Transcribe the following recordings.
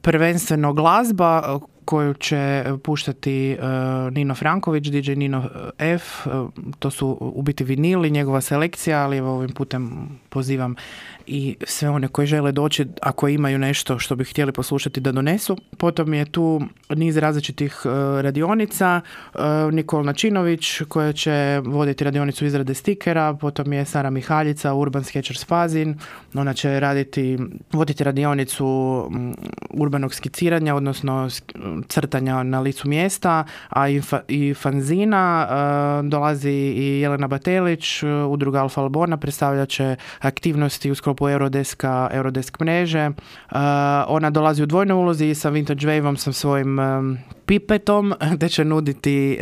prvenstveno glazba koju će puštati Nino Franković, DJ Nino F. To su u biti vinili, njegova selekcija, ali ovim putem pozivam i sve one koji žele doći, ako imaju nešto što bi htjeli poslušati, da donesu. Potom je tu niz različitih radionica. Nikol Načinović koja će voditi radionicu izrade stikera, potom je Sara Mihaljica, Urban Sketchers Pazin. Ona će voditi radionicu urbanog skiciranja, odnosno crtanja na licu mjesta, a i fanzina. Dolazi i Jelena Batelić, udruga Alfa Albona, predstavljat će aktivnosti u sklopu Eurodesk mreže. Ona dolazi u dvojnoj ulozi sa Vintage Wave-om, sa svojim pipetom, gdje će nuditi,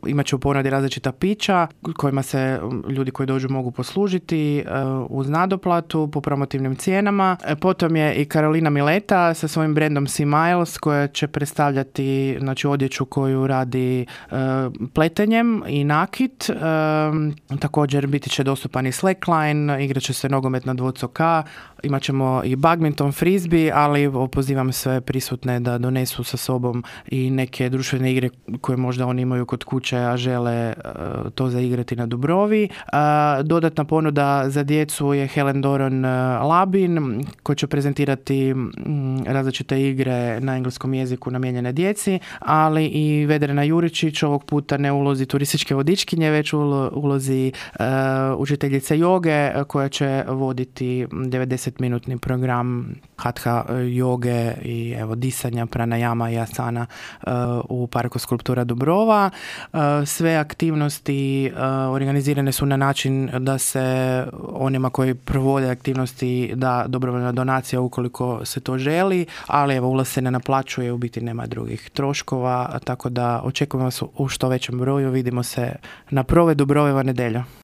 imat će u ponudi različita pića kojima se ljudi koji dođu mogu poslužiti uz nadoplatu po promotivnim cijenama. Potom je i Karolina Mileta sa svojim brendom Sea Miles koja će predstavljati, znači, odjeću koju radi pletenjem i nakit. Također biti će dostupan i slackline, igrat će se nogomet na dvocoka, imat ćemo i badminton, frisbee, ali pozivam sve prisutne da donesu sa sobom i neke društvene igre koje možda oni imaju kod kuće, a žele to zaigrati na Dubrovi. Dodatna ponuda za djecu je Helen Doron Labin, koji će prezentirati različite igre na engleskom jeziku namijenjene djeci, ali i Vedrana Juričić, ovog puta ne u ulozi turističke vodičkinje, već u ulozi učiteljice joge, koja će voditi 90-minutni program hatha joge i disanja, pranajama i asana u Parku skulptura Dubrova. Sve aktivnosti organizirane su na način da se onima koji provode aktivnosti da dobrovoljna donacija ukoliko se to želi, ali ulaz se ne naplaćuje, u biti nema drugih troškova, tako da očekujemo vas u što većem broju. Vidimo se na Prove Dubrojeva nedjelja.